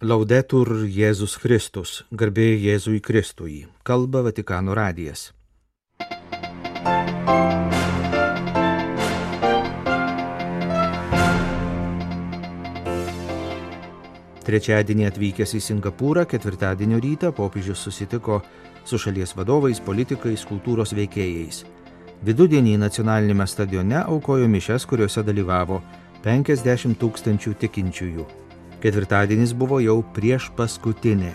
Laudetur Jėzus Kristus, garbė Jėzui Kristui, kalba Vatikano radijas. Trečiadienį atvykęs į Singapūrą, ketvirtadienio rytą popiežius susitiko su šalies vadovais, politikais, kultūros veikėjais. Vidudienį nacionalinėme stadione aukojo mišias, kuriuose dalyvavo 50 000 tikinčiųjų. Ketvirtadienis buvo jau prieš paskutinė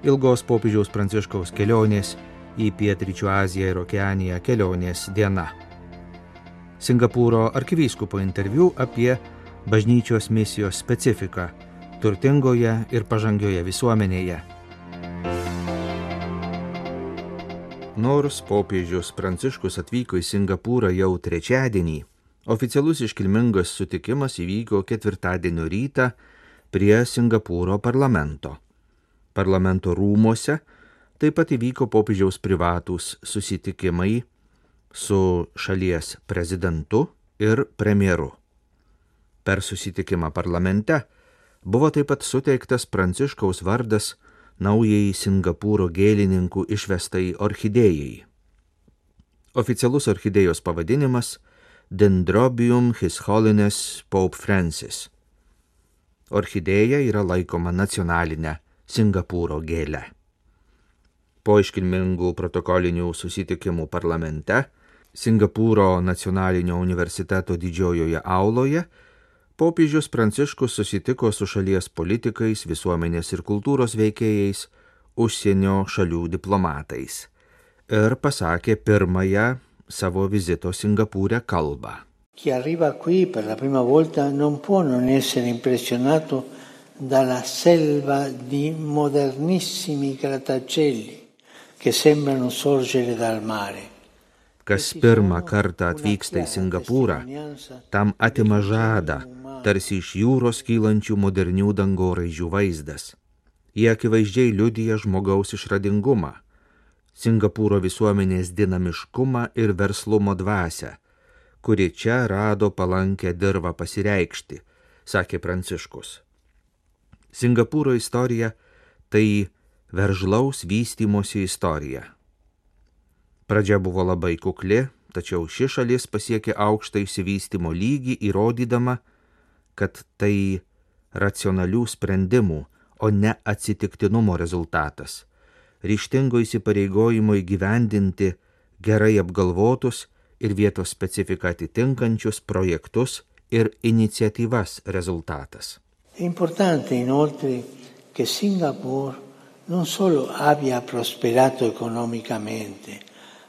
ilgos popiežiaus Pranciškaus kelionės į Pietryčių Aziją ir Okeaniją kelionės diena. Singapūro arkivyskupo interviu apie bažnyčios misijos specifiką turtingoje ir pažangioje visuomenėje. Nors popiežius Pranciškus atvyko į Singapūrą jau trečiadienį, oficialus iškilmingas sutikimas įvyko ketvirtadienio rytą prie Singapūro parlamento. Parlamento rūmuose taip pat įvyko popiežiaus privatūs susitikimai su šalies prezidentu ir premjeru. Per susitikimą parlamente buvo taip pat suteiktas Pranciškaus vardas naujai Singapūro gėlininkų išvestai orchidėjai. Oficialus orchidėjos pavadinimas Dendrobium His Holiness Pope Francis. Orchidėja yra laikoma nacionalinė Singapūro gėlė. Po iškilmingų protokolinių susitikimų parlamente, Singapūro nacionalinio universiteto didžiojoje auloje, popiežius Pranciškus susitiko su šalies politikais, visuomenės ir kultūros veikėjais, užsienio šalių diplomatais ir pasakė pirmąją savo vizito Singapūre kalbą. Chi arriva qui per la prima volta non può non essere impressionato dalla selva di modernissimi grattacieli che sembrano sorgere dal mare. Kas pirmą kartą atvyksta į Singapūrą, tam atima žadą, tarsi iš jūros kylančių modernių dangoraižių vaizdas. Jie akivaizdžiai liudija žmogaus išradingumą, Singapūro visuomenės dinamiškumą ir verslumo dvasią, kuri čia rado palankę dirvą pasireikšti, sakė Pranciškus. Singapūro istorija tai veržlaus vystymosi istorija. Pradžia buvo labai kukli, tačiau ši šalis pasiekė aukštą išsivystymo lygį, įrodydama, kad tai racionalių sprendimų, o ne atsitiktinumo rezultatas, ryžtingo įsipareigojimo įgyvendinti gerai apgalvotus ir vietos specifiką atitinkančius projektus ir iniciatyvas rezultatas. È importante inoltre che Singapore non solo abbia prosperato economicamente,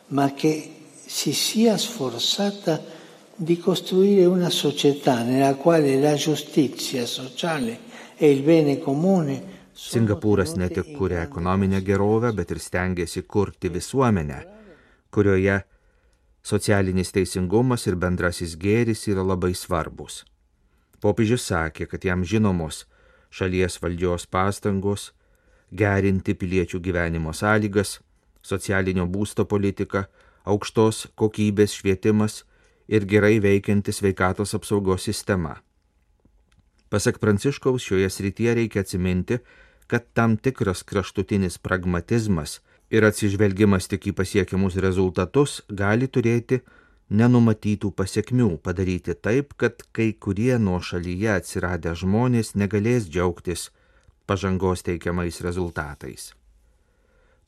ma che si sia sforzata di costruire una società nella quale la giustizia sociale e il bene comune. Singapūras ne tik kuria ekonominę gerovę, bet ir stengiasi kurti visuomenę, kurioje socialinis teisingumas ir bendrasis gėris yra labai svarbus. Popiežius sakė, kad jam žinomos šalies valdžios pastangos gerinti piliečių gyvenimo sąlygas, socialinio būsto politika, aukštos kokybės švietimas ir gerai veikianti sveikatos apsaugos sistema. Pasak Pranciškaus, šioje srityje reikia atsiminti, kad tam tikras kraštutinis pragmatizmas ir atsižvelgimas tik į pasiekiamus rezultatus gali turėti nenumatytų pasekmių, padaryti taip, kad kai kurie nuo šalyje atsiradę žmonės negalės džiaugtis pažangos teikiamais rezultatais.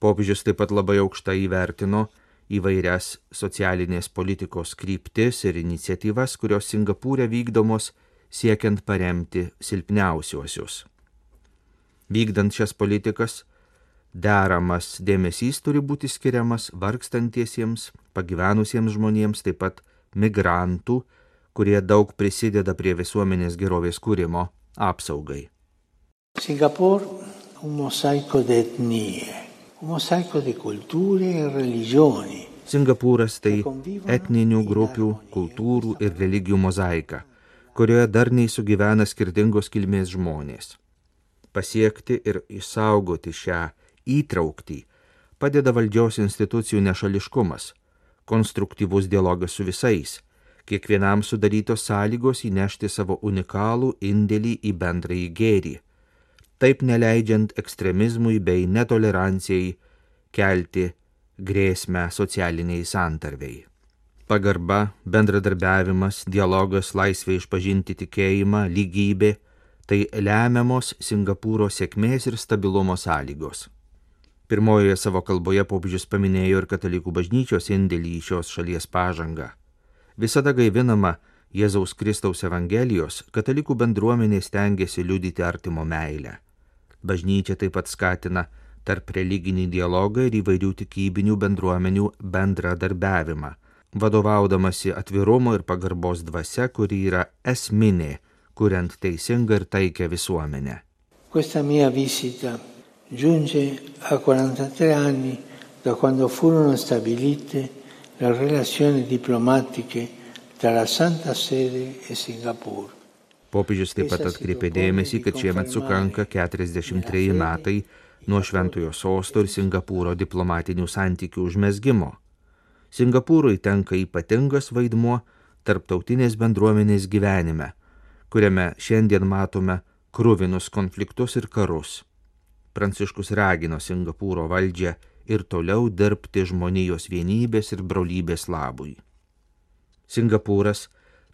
Popiežius taip pat labai aukštai įvertino įvairias socialinės politikos kryptis ir iniciatyvas, kurios Singapūre vykdomos siekiant paremti silpniausiuosius. Vykdant šias politikas, deramas dėmesys turi būti skiriamas vargstantiesiems, pagyvenusiems žmonėms, taip pat migrantų, kurie daug prisideda prie visuomenės gerovės kūrimo apsaugai. Singapore un mosaico di etnie, un mosaico di culture e religioni. Singapūras tai etninių grupių, kultūrų ir religijų mozaika, kurioje darniai sugyvena skirtingos kilmės žmonės. Pasiekti ir išsaugoti šią įtrauktį padeda valdžios institucijų nešališkumas, konstruktyvus dialogas su visais, kiekvienam sudarytos sąlygos įnešti savo unikalų indėlį į bendrąjį gėrį. taip neleidžiant ekstremizmui bei netolerancijai kelti grėsmę socialiniai santarvei. Pagarba, bendradarbiavimas, dialogas, laisvė išpažinti tikėjimą, lygybė – tai lemiamos Singapūro sėkmės ir stabilumo sąlygos. Pirmojoje savo kalboje popiežius paminėjo ir katalikų bažnyčios indėlį į šios šalies pažangą. Visada gaivinama Jėzaus Kristaus Evangelijos, katalikų bendruomenė stengiasi liudyti artimo meilę. Bažnyčia taip pat skatina tarp religinį dialogą ir įvairių tikybinių bendruomenių bendradarbiavimą, vadovaudamasi atvirumo ir pagarbos dvasia, kuri yra esminė, kuriant teisingą ir taikę visuomenę. Questa mia visita giunge a 43 anni da quando furono stabilite le relazioni diplomatiche tra la Santa Sede e Singapore. Popiežius taip pat atkreipė dėmesį, kad šiemet sukanka 43 metai nuo Šventojo sosto ir Singapūro diplomatinių santykių užmezgimo. Singapūrui tenka ypatingas vaidmuo tarptautinės bendruomenės gyvenime, kuriame šiandien matome kruvinus konfliktus ir karus. Pranciškus ragino Singapūro valdžią ir toliau dirbti žmonijos vienybės ir brolybės labui. Singapūras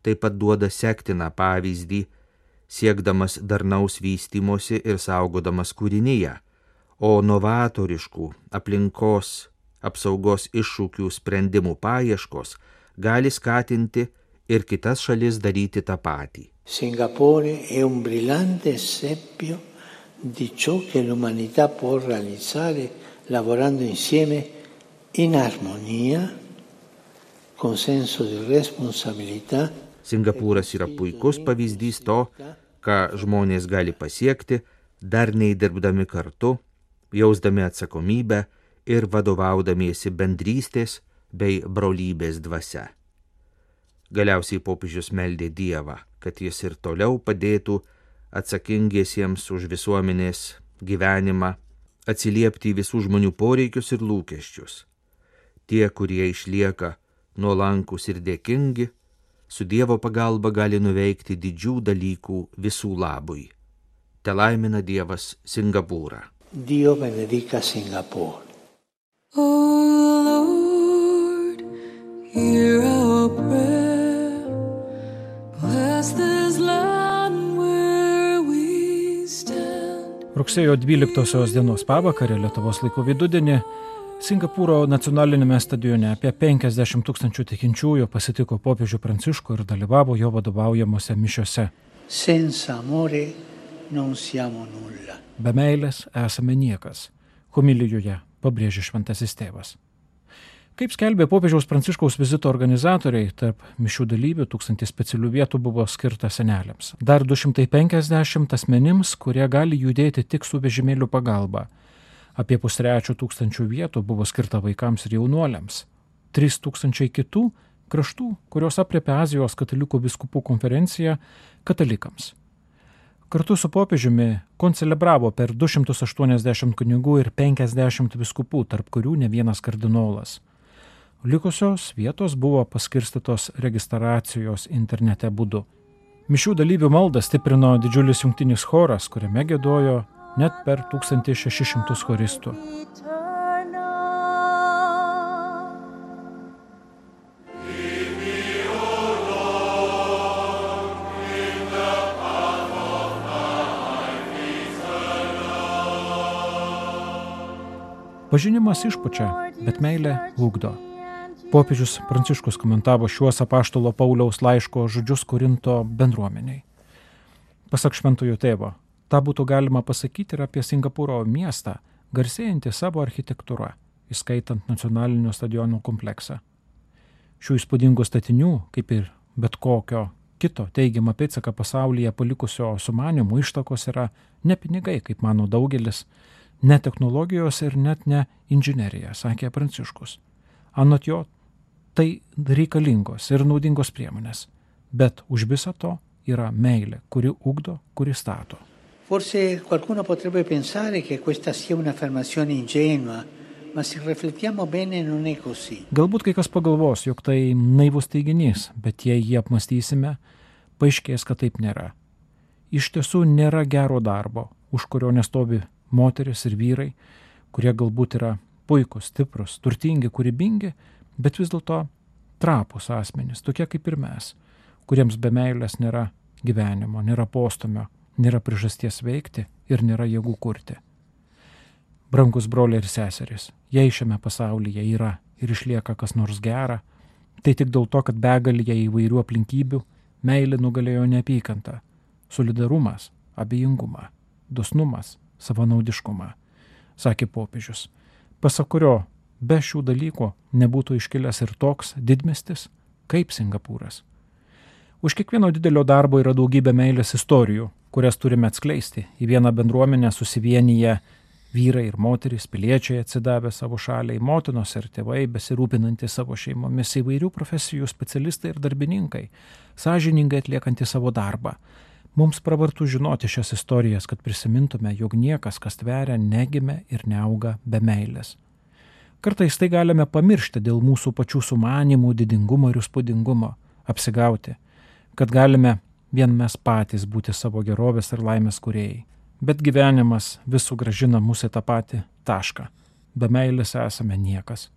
taip pat duoda sektiną pavyzdį, siekdamas darnaus vystymosi ir saugodamas kūrinyje, o novatoriškų aplinkos apsaugos iššūkių sprendimų paieškos gali skatinti ir kitas šalis daryti tą patį. Singapore è un brillante esempio di ciò che l'umanità può realizzare lavorando insieme in armonia, con senso di responsabilità. Singapūras yra puikus pavyzdys to, ką žmonės gali pasiekti, darniai dirbdami kartu, jausdami atsakomybę ir vadovaudamiesi bendrystės bei brolybės dvasia. Galiausiai popiežius meldė Dievą, kad jis ir toliau padėtų atsakingiesiems už visuomenės gyvenimą atsiliepti į visų žmonių poreikius ir lūkesčius. Tie, kurie išlieka nuolankus ir dėkingi, su Dievo pagalba gali nuveikti didžių dalykų visų labui. Te laimina Dievas Singapūrą. Dio benedica Singapore. O Lord, hear our prayer. Bless this land where we stand. Rugsėjo 12 dienos pavakarę Lietuvos laiku vidudienį Singapūro nacionalinėme stadione apie 50 000 tikinčiųjų pasitiko popiežių Pranciškų ir dalyvavo jo vadovaujamuose mišiose. Senza amore non siamo nulla. Be meilės esame niekas, homilijoje pabrėžė šventasis tėvas. Kaip skelbė popiežiaus Pranciškaus vizito organizatoriai, tarp mišių dalyvių 1000 specialių vietų buvo skirta seneliams. Dar 250 asmenims, kurie gali judėti tik su vežimėlių pagalba. Apie 300 vietų buvo skirta vaikams ir jaunuoliams. 3000 kitų kraštų, kurios aprėpia Azijos katalikų vyskupų konferencija, katalikams. Kartu su popiežiumi koncelebravo per 280 kunigų ir 50 vyskupų, tarp kurių ne vienas kardinolas. Likusios vietos buvo paskirstytos registracijos internete būdu. Mišių dalyvių maldą stiprino didžiulis jungtinis choras, kuriame giedojo net per 1600 choristų. Pažinimas išpučia, bet meilė ugdo. Popiežius Pranciškus komentavo šiuos apaštalo Pauliaus laiško žodžius Korinto bendruomeniai. Pasak šventojo tėvo, tą būtų galima pasakyti ir apie Singapūro miestą, garsėjantį savo architektūrą, įskaitant nacionalinio stadiono kompleksą. Šių įspūdingų statinių, kaip ir bet kokio kito teigiamą pėdsaką pasaulyje palikusio sumanymų ištakos yra ne pinigai, kaip mano daugelis, ne technologijos ir net ne inžinerija, sakė Pranciškus. Anot jo, tai reikalingos ir naudingos priemonės, bet už visą to yra meilė, kuri ugdo, kuri stato. Forse qualcuno potrebbe pensare che questa sia un'affermazione ingenua, ma se riflettiamo bene non è così. Galbūt kai kas pagalvos, jog tai naivus teiginys, bet jei jį apmastysime, paaiškės, kad taip nėra. Iš tiesų nėra gero darbo, už kurio nestovi moteris ir vyrai, kurie galbūt yra puikūs, stiprus, turtingi, kūrybingi, bet vis dėlto trapūs asmenys, tokie kaip ir mes, kuriems be meilės nėra gyvenimo, nėra postumio, nėra priežasties veikti ir nėra jėgų kurti. Brangus broliai ir seserys, jei šiame pasaulyje yra ir išlieka kas nors gera, tai tik dėl to, kad begalėje įvairių aplinkybių meilė nugalėjo neapykantą, solidarumas, abejingumą, dosnumas, savanaudiškumą, sakė popiežius, pasak kurio be šių dalykų nebūtų iškilęs ir toks didmiestis kaip Singapūras. Už kiekvieno didelio darbo yra daugybė meilės istorijų, kurias turime atskleisti. Į vieną bendruomenę susivienyje vyrai ir moterys, piliečiai atsidavę savo šaliai, motinos ir tėvai besirūpinantys savo šeimomis, įvairių profesijų specialistai ir darbininkai, sąžiningai atliekantys savo darbą. Mums pravartu žinoti šias istorijas, kad prisimintume, jog niekas, kas tveria, negimė ir neauga be meilės. Kartais tai galime pamiršti dėl mūsų pačių sumanimų, didingumo ir įspūdingumo, apsigauti, kad galime vien mes patys būti savo gerovės ir laimės kūrėjai. Bet gyvenimas vis sugrąžina mūsų į tą patį tašką. Be meilės esame niekas.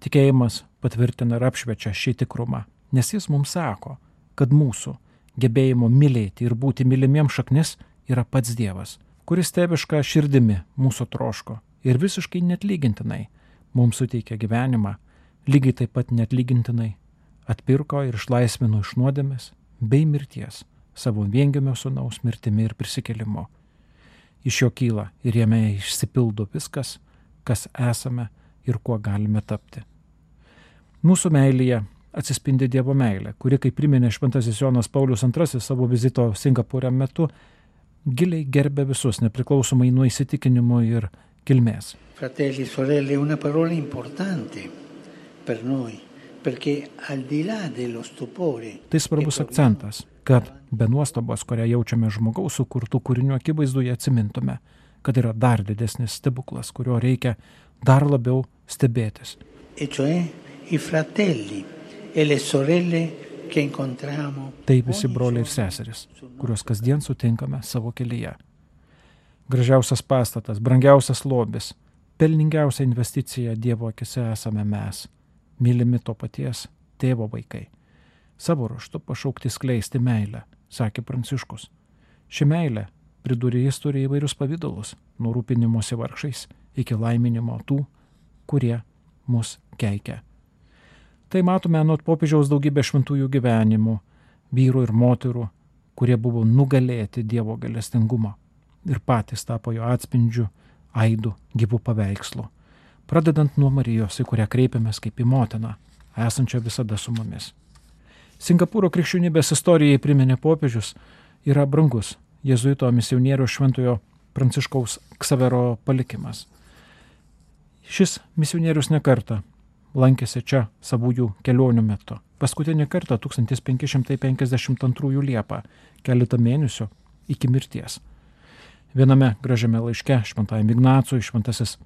Tikėjimas patvirtina ir apšviečia šį tikrumą, nes jis mums sako, kad mūsų gebėjimo mylėti ir būti mylimiems šaknis yra pats Dievas, kuris tėviška širdimi mūsų troško ir visiškai neatlygintinai mums suteikia gyvenimą, lygiai taip pat neatlygintinai atpirko ir išlaisvino iš nuodėmės bei mirties savo viengimio sūnaus mirtimi ir prisikėlimu. Iš jo kyla ir jame išsipildo viskas, kas esame ir kuo galime tapti. Mūsų meilėje atsispindi Dievo meilė, kuri, kaip priminė šventasis Jonas Paulius II savo vizito Singapūre metu, giliai gerbė visus, nepriklausomai nuo įsitikinimų ir kilmės. Fratelli, sorelle, una parola importante per noi, perché al di là dello stupore. Tai svarbus akcentas, kad be nuostabos, kurią jaučiame žmogaus sukurtų kūrinių akivaizdoje, atsimintume, kad yra dar didesnis stebuklas, kurio reikia dar labiau stebėtis. E cioè i fratelli e le sorelle che incontriamo. Tai visi broliai ir seserys, kuriuos kasdien sutinkame savo kelyje. Gražiausias pastatas, brangiausias lobis, pelningiausia investicija Dievo akise esame mes, mylimi to paties tėvo vaikai. Savo ruožtu pašaukti skleisti meilę, sakė Pranciškus. Ši meilė, pridūrė jis, turi įvairius pavydalus, nuo rūpinimosi vargšais iki laiminimo tų, kurie mus keikia. Tai matome nuo popiežiaus daugybę šventųjų gyvenimų, vyrų ir moterų, kurie buvo nugalėti Dievo gailestingumo ir patys tapo jo atspindžiu, aidu, gyvų paveikslų. Pradedant nuo Marijos, į kurią kreipiamės kaip į motiną, esančią visada su mumis. Singapūro krikščionybės istorijai priminė popiežius yra brangus jėzuito misionieriaus šventojo Pranciškaus Ksavero palikimas. Šis misionierius nekartą lankėsi čia savųjų kelionių metu. Paskutinį kartą 1552 Liepą, keletą mėnesių iki mirties. Viename gražiame laiške šventajam Ignacui šventasis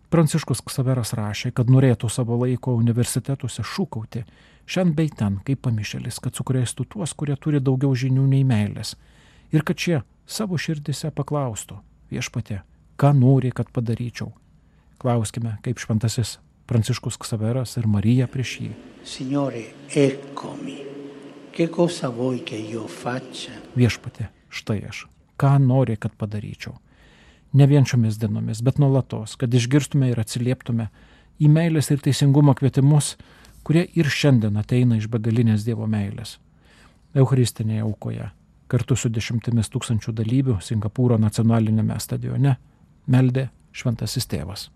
Pranciškus Ksaveras rašė, kad norėtų savo laiko universitetuose šūkauti šiandien bei ten, kaip pamišėlis, kad sukrėstų tuos, kurie turi daugiau žinių nei meilės, ir kad šie savo širdise paklaustų, viešpatie, ką nori, kad padaryčiau. Klauskime, kaip šventasis Pranciškus Ksaveras ir Marija prieš jį. Signore, eccomi, che cosa vuoi che io faccia? Viešpatie, štai aš, ką nori, kad padaryčiau. Ne vien šiomis dienomis, bet nuolatos, kad išgirstume ir atsilieptume į meilės ir teisingumo kvietimus, kurie ir šiandien ateina iš begalinės Dievo meilės. Eucharistinėje aukoje, kartu su 10 000 dalyvių Singapūro nacionalinėme stadione, meldė šventasis tėvas.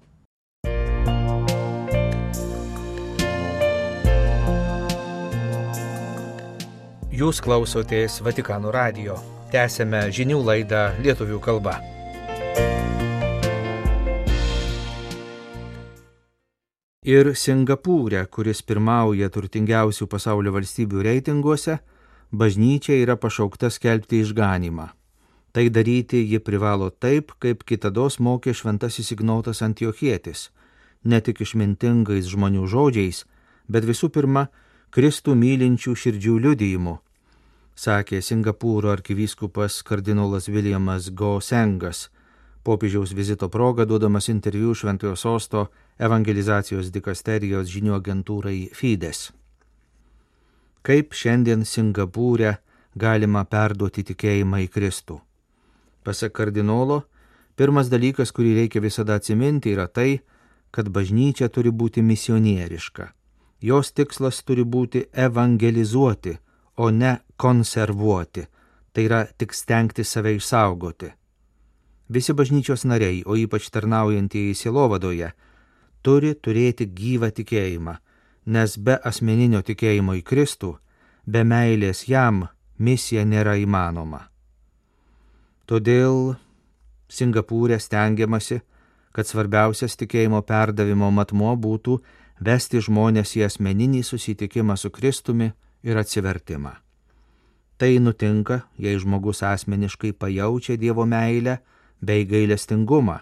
Jūs klausotės Vatikano radijo. Tęsėme žinių laidą lietuvių kalba. Ir Singapūre, kuris pirmauja turtingiausių pasaulio valstybių reitinguose, bažnyčia yra pašaukta skelbti išganymą. Tai daryti ji privalo taip, kaip kitados mokė šventasis Ignotas Antiochietis, ne tik išmintingais žmonių žodžiais, bet visų pirma, Kristų mylinčių širdžių liudijimu, sakė Singapūro arkivyskupas kardinolas Williamas Go Sengas popiežiaus vizito proga duodamas interviu Šventojo Sosto evangelizacijos dikasterijos žinių agentūrai Fides. Kaip šiandien Singapūre galima perduoti tikėjimą į Kristų? Pasak kardinolo, pirmas dalykas, kurį reikia visada atsiminti, yra tai, kad bažnyčia turi būti misionieriška. Jos tikslas turi būti evangelizuoti, o ne konservuoti, tai yra tik stengti save išsaugoti. Visi bažnyčios nariai, o ypač tarnaujantieji sielovadoje, turi turėti gyvą tikėjimą, nes be asmeninio tikėjimo į Kristų, be meilės jam misija nėra įmanoma. Todėl Singapūre stengiamasi, kad svarbiausias tikėjimo perdavimo matmuo būtų vesti žmonės į asmeninį susitikimą su Kristumi ir atsivertimą. Tai nutinka, jei žmogus asmeniškai pajaučia Dievo meilę bei gailestingumą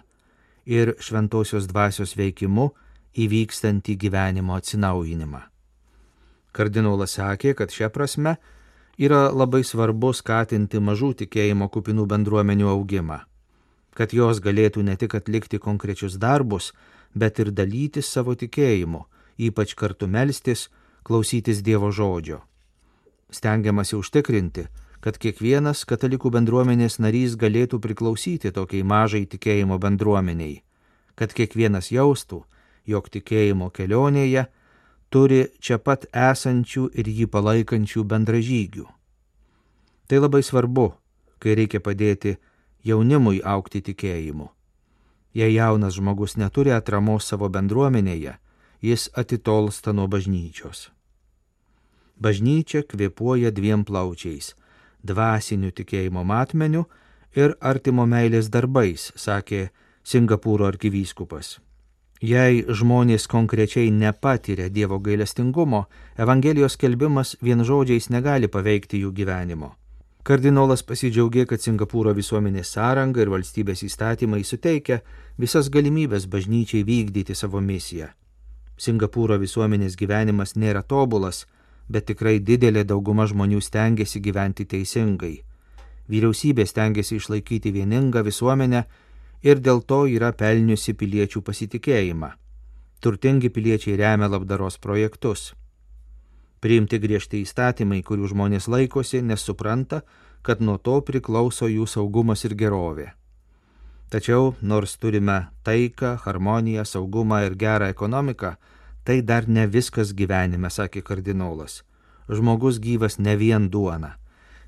ir šventosios dvasios veikimu įvykstantį gyvenimo atsinaujinimą. Kardinolas sakė, kad šia prasme yra labai svarbu skatinti mažų tikėjimo kupinų bendruomenių augimą, kad jos galėtų ne tik atlikti konkrečius darbus, bet ir dalytis savo tikėjimu, ypač kartu melstis, klausytis Dievo žodžio. Stengiamasi užtikrinti, kad kiekvienas katalikų bendruomenės narys galėtų priklausyti tokiai mažai tikėjimo bendruomeniai, kad kiekvienas jaustų, jog tikėjimo kelionėje turi čia pat esančių ir jį palaikančių bendražygių. Tai labai svarbu, kai reikia padėti jaunimui augti tikėjimu. Jei jaunas žmogus neturi atramos savo bendruomenėje, jis atitolsta nuo bažnyčios. Bažnyčia kvėpuoja dviem plaučiais – dvasiniu tikėjimo matmeniu ir artimo meilės darbais, sakė Singapūro arkivyskupas. Jei žmonės konkrečiai nepatiria Dievo gailestingumo, Evangelijos skelbimas vien žodžiais negali paveikti jų gyvenimo. Kardinolas pasidžiaugė, kad Singapūro visuomenės sąranga ir valstybės įstatymai suteikia visas galimybės bažnyčiai vykdyti savo misiją. Singapūro visuomenės gyvenimas nėra tobulas, bet tikrai didelė dauguma žmonių stengiasi gyventi teisingai. Vyriausybė stengiasi išlaikyti vieningą visuomenę ir dėl to yra pelniusi piliečių pasitikėjimą. Turtingi piliečiai remia labdaros projektus. Priimti griežti įstatymai, kurių žmonės laikosi, nes supranta, kad nuo to priklauso jų saugumas ir gerovė. Tačiau, nors turime taiką, harmoniją, saugumą ir gerą ekonomiką, tai dar ne viskas gyvenime, sakė kardinolas. Žmogus gyvas ne vien duona.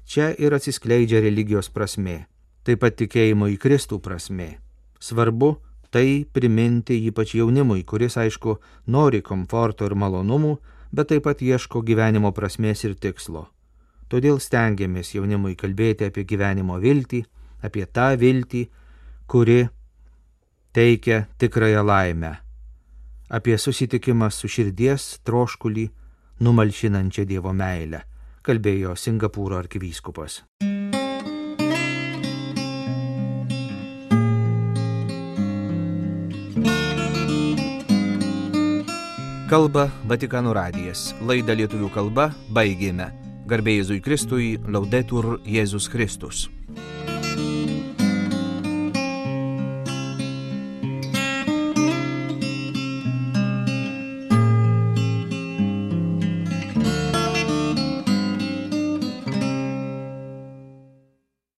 Čia ir atsiskleidžia religijos prasmė, taip pat tikėjimo į Kristų prasmė. Svarbu tai priminti ypač jaunimui, kuris, aišku, nori komforto ir malonumų, bet taip pat ieško gyvenimo prasmės ir tikslo. Todėl stengiamės jaunimui kalbėti apie gyvenimo viltį, apie tą viltį, kuri teikia tikrąją laimę, apie susitikimą su širdies troškulį numalšinančią Dievo meilę, kalbėjo Singapūro arkivyskupas. Kalba Vatikano radijas. Laidą lietuvių kalba baigėme. Garbė Jėzui Kristui, Laudetur Jėzus Kristus.